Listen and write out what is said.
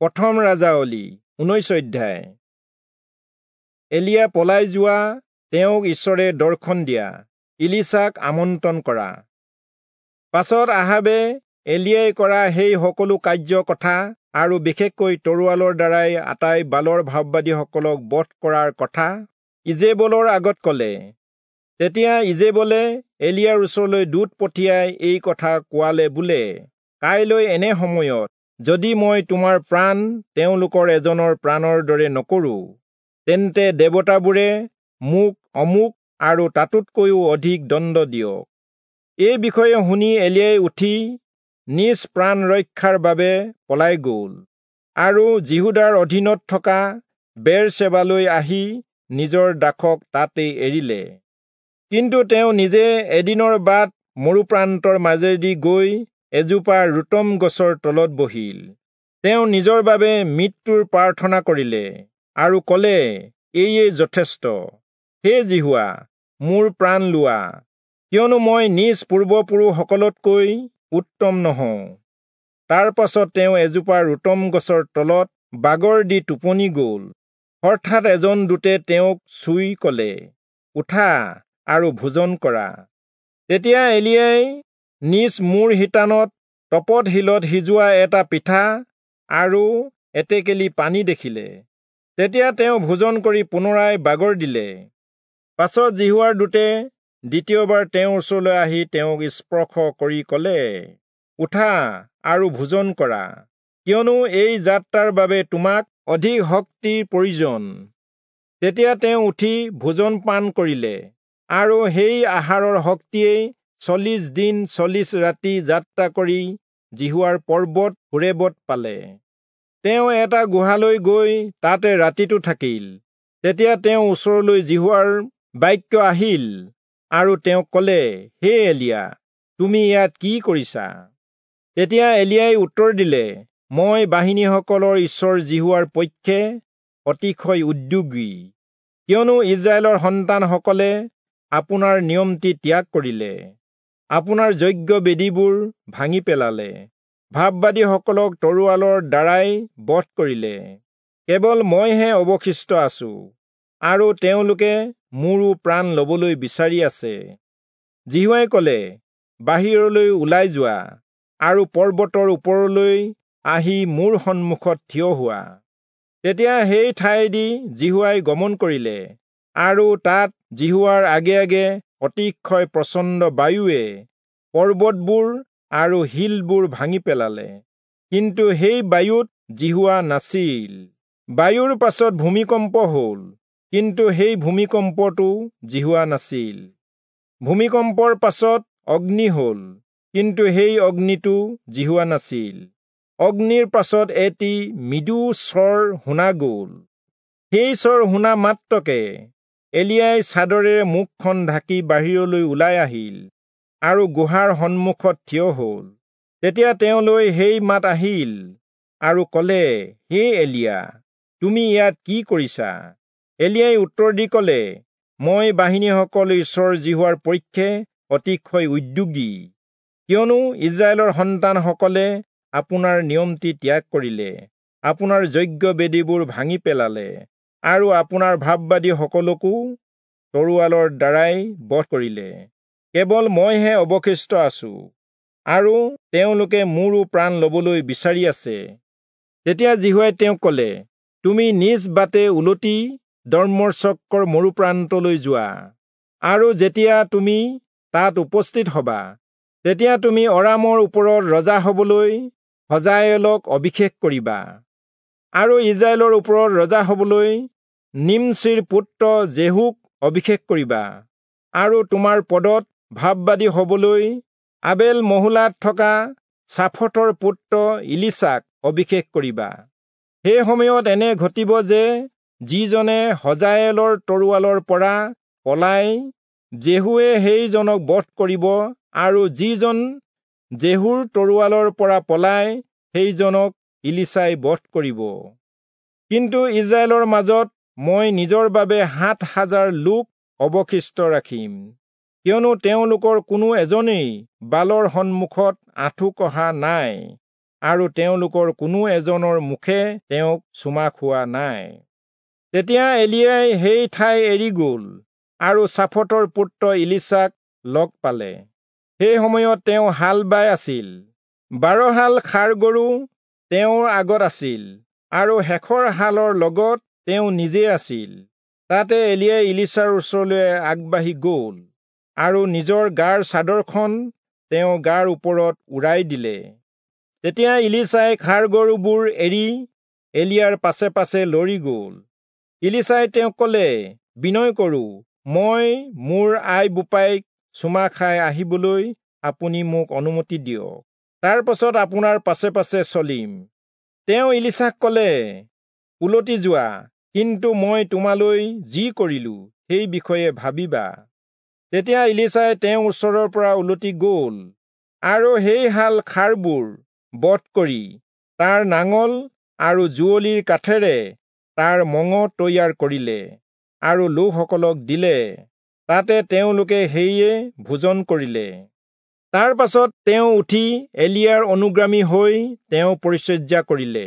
প্ৰথম ৰাজাৱলী 19 অধ্যায়। এলিয়া পলাই যোৱা, তেওঁক ঈশ্বৰে দৰ্শন দিয়া, ইলিচাক আমন্ত্ৰণ কৰা। পাছত আহাবে এলিয়াই কৰা সেই সকলো কাৰ্য কথা আৰু বিশেষকৈ তৰোৱালৰ দ্বাৰাই আটাই বালৰ ভাববাদীসকলক বধ কৰাৰ কথা ইজেবলৰ আগত ক'লে। তেতিয়া ইজেবলে এলিয়াৰ ওচৰলৈ দূত পঠিয়াই এই কথা কোৱালে বোলে, কাইলৈ এনে সময়ত যদি মই তোমাৰ প্ৰাণ তেওঁলোকৰ এজনৰ প্ৰাণৰ দৰে নকৰোঁ, তেন্তে দেৱতাবোৰে মোক অমুক আৰু তাতোতকৈও অধিক দণ্ড দিয়ক। এই বিষয়ে শুনি এলিয়াই উঠি নিজ প্ৰাণ ৰক্ষাৰ বাবে পলাই গ'ল আৰু যিহূদাৰ অধীনত থকা বেৰচেবালৈ আহি নিজৰ দাসক তাতেই এৰিলে। কিন্তু তেওঁ নিজে এদিনৰ বাট মৰুপ্ৰান্তৰ মাজেদি গৈ এজোপা ৰুতম গছৰ তলত বহিল। তেওঁ নিজৰ বাবে মৃত্যুৰ প্ৰাৰ্থনা কৰিলে আৰু ক'লে, এয়ে যথেষ্ট, হে যিহোৱা, মোৰ প্ৰাণ লোৱা, কিয়নো মই নিজ পূৰ্বপুৰুষসকলতকৈ উত্তম নহওঁ। তাৰ পাছত তেওঁ এজোপা ৰুতম গছৰ তলত বাগৰ দি টোপনি গ'ল। হঠাৎ এজন দূতে তেওঁক চুই ক'লে, উঠা আৰু ভোজন কৰা। তেতিয়া এলিয়াই নিজ মূৰ শিতানত তপত শিলত সিজোৱা এটা পিঠা আৰু এটেকেলি পানী দেখিলে। তেতিয়া তেওঁ ভোজন কৰি পুনৰাই বাগৰ দিলে। পাছত যিহোৱাৰ দূতে দ্বিতীয়বাৰ তেওঁৰ ওচৰলৈ আহি তেওঁক স্পৰ্শ কৰি ক'লে, উঠা আৰু ভোজন কৰা, কিয়নো এই যাত্ৰাৰ বাবে তোমাক অধিক শক্তিৰ প্ৰয়োজন। তেতিয়া তেওঁ উঠি ভোজন পান কৰিলে আৰু সেই আহাৰৰ শক্তিয়েই 40 দিন 40 ৰাতি যাত্ৰা কৰি যিহোৱাৰ পৰ্বত হোৰেবত পালে। তেওঁ এটা গুহালৈ গৈ তাতে ৰাতিটো থাকিল। তেতিয়া তেওঁ ওচৰলৈ যিহোৱাৰ বাক্য আহিল আৰু তেওঁক ক'লে, হে এলিয়া, তুমি ইয়াত কি কৰিছা? তেতিয়া এলিয়াই উত্তৰ দিলে, মই বাহিনীসকলৰ ঈশ্বৰ যিহোৱাৰ পক্ষে অতিশয় উদ্যোগী, কিয়নো ইস্ৰায়েলৰ সন্তানসকলে আপোনাৰ নিয়মটি ত্যাগ কৰিলে, আপোনাৰ যজ্ঞ বেদীবোৰ ভাঙি পেলালে, ভাববাদীসকলক তৰোৱালৰ দ্বাৰাই বধ কৰিলে। কেৱল মইহে অৱশিষ্ট আছো, আৰু তেওঁলোকে মোৰো প্ৰাণ ল'বলৈ বিচাৰি আছে। যিহোৱাই ক'লে, বাহিৰলৈ ওলাই যোৱা আৰু পৰ্বতৰ ওপৰলৈ আহি মোৰ সন্মুখত থিয় হোৱা। তেতিয়া সেই ঠাইদি যিহোৱাই গমন কৰিলে আৰু তাত যিহোৱাৰ আগে আগে অতিশয় প্ৰচণ্ড বায়ুৱে পৰ্বতবোৰ আৰু শিলবোৰ ভাঙি পেলালে, কিন্তু সেই বায়ুত যিহোৱা নাছিল। বায়ুৰ পাছত ভূমিকম্প হ'ল, কিন্তু সেই ভূমিকম্পটো যিহোৱা নাছিল। ভূমিকম্পৰ পাছত অগ্নি হ'ল, কিন্তু সেই অগ্নিটো যিহোৱা নাছিল। অগ্নিৰ পাছত এটি মৃদু স্বৰ শুনা গ'ল। সেই স্বৰ শুনা মাত্ৰকে এলিয়াই চাদৰেৰে মুখখন ঢাকি বাহিৰলৈ ওলাই আহিল আৰু গুহাৰ সন্মুখত থিয় হ'ল। তেতিয়া তেওঁলৈ সেই মাত আহিল আৰু ক'লে, হে এলিয়া, তুমি ইয়াত কি কৰিছা? এলিয়াই উত্তৰ দি ক'লে, মই বাহিনীসকল ঈশ্বৰ যিহোৱাৰ পক্ষে অতিশয় উদ্যোগী, কিয়নো ইস্ৰায়েলৰ সন্তানসকলে আপোনাৰ নিয়মটি ত্যাগ কৰিলে, আপোনাৰ যজ্ঞ বেদীবোৰ ভাঙি পেলালে আৰু আপোনাৰ ভাববাদীসকলকো তৰোৱালৰ দ্বাৰাই বধ কৰিলে। কেৱল মইহে অৱশিষ্ট আছো, আৰু তেওঁলোকে মোৰো প্ৰাণ ল'বলৈ বিচাৰি আছে। তেতিয়া যিহোৱাই তেওঁক ক'লে, তুমি নিজ বাটে উলটি দম্মেচকৰ মৰুপ্ৰান্তলৈ যোৱা, আৰু যেতিয়া তুমি তাত উপস্থিত হবা, তেতিয়া তুমি অৰামৰ ওপৰত ৰজা হবলৈ হজায়েলক অভিষেক কৰিবা, আৰু ইস্ৰায়েলৰ ওপৰত ৰজা হবলৈ নিমচিৰ পুত্ৰ জেহুক অভিষেক কৰিবা, আৰু তোমাৰ পদত ভাববাদী হবলৈ আবেল মহোলাত থকা চাফটৰ পুত্ৰ ইলিচাক অভিষেক কৰিবা। সেই সময়ত এনে ঘটিব যে যিজনে হজায়েলৰ তৰোৱালৰ পৰা পলাই, জেহুৱে সেইজনক বধ কৰিব, আৰু যিজন জেহুৰ তৰোৱালৰ পৰা পলাই, সেইজনক ইলিচাই বধ কৰিব। কিন্তু ইস্ৰায়েলৰ মাজত মই নিজৰ বাবে 7000 লোক অৱশিষ্ট ৰাখিম, কিয়নো তেওঁলোকৰ কোনো এজনেই বালৰ সন্মুখত আঁঠু কঢ়া নাই। আৰু তেওঁলোকৰ কোনো এজনৰ মুখে তেওঁক চুমা খোৱা নাই। তেতিয়া এলিয়াই সেই ঠাই এৰি গ'ল আৰু চাফটৰ পুত্ৰ ইলিচাক লগ পালে। সেই সময়ত তেওঁ হাল বাই আছিল। 12 হাল ষাঁড় গৰু তেওঁৰ আগত আছিল আৰু শেষৰ হালৰ লগত তেওঁ নিজে আছিল। তাতে এলিয়াই ইলিচাৰ ওচৰলৈ আগবাঢ়ি গ'ল আৰু নিজৰ গাৰ চাদৰখন তেওঁ গাৰ ওপৰত উৰাই দিলে। তেতিয়া ইলিচাই ষাঁড় গৰুবোৰ এৰি এলিয়াৰ পাছে পাছে লৰি গ'ল। ইলিচাই তেওঁক ক'লে, বিনয় কৰোঁ, মই মোৰ আই বোপাইক চুমা খাই আহিবলৈ আপুনি মোক অনুমতি দিয়ক, তাৰ পাছত আপোনাৰ পাছে পাছে চলিম। তেওঁ ইলিচাক ক'লে, উলটি যোৱা, কিন্তু মই তোমালৈ যি কৰিলো সেই বিষয়ে ভাবিবা। তেতিয়া ইলিচাই তেওঁৰ ওচৰৰ পৰা উলটি গ'ল আৰু সেই হাল ষাঁড়বোৰ বধ কৰি তাৰ নাঙল আৰু যুঁৱলিৰ কাঠেৰে তাৰ মঙহ তৈয়াৰ কৰিলে আৰু লোকসকলক দিলে। তাতে তেওঁলোকে সেয়ে ভোজন কৰিলে। তাৰ পাছত তেওঁ উঠি এলিয়াৰ অনুগামী হৈ তেওঁ পৰিচৰ্যা কৰিলে।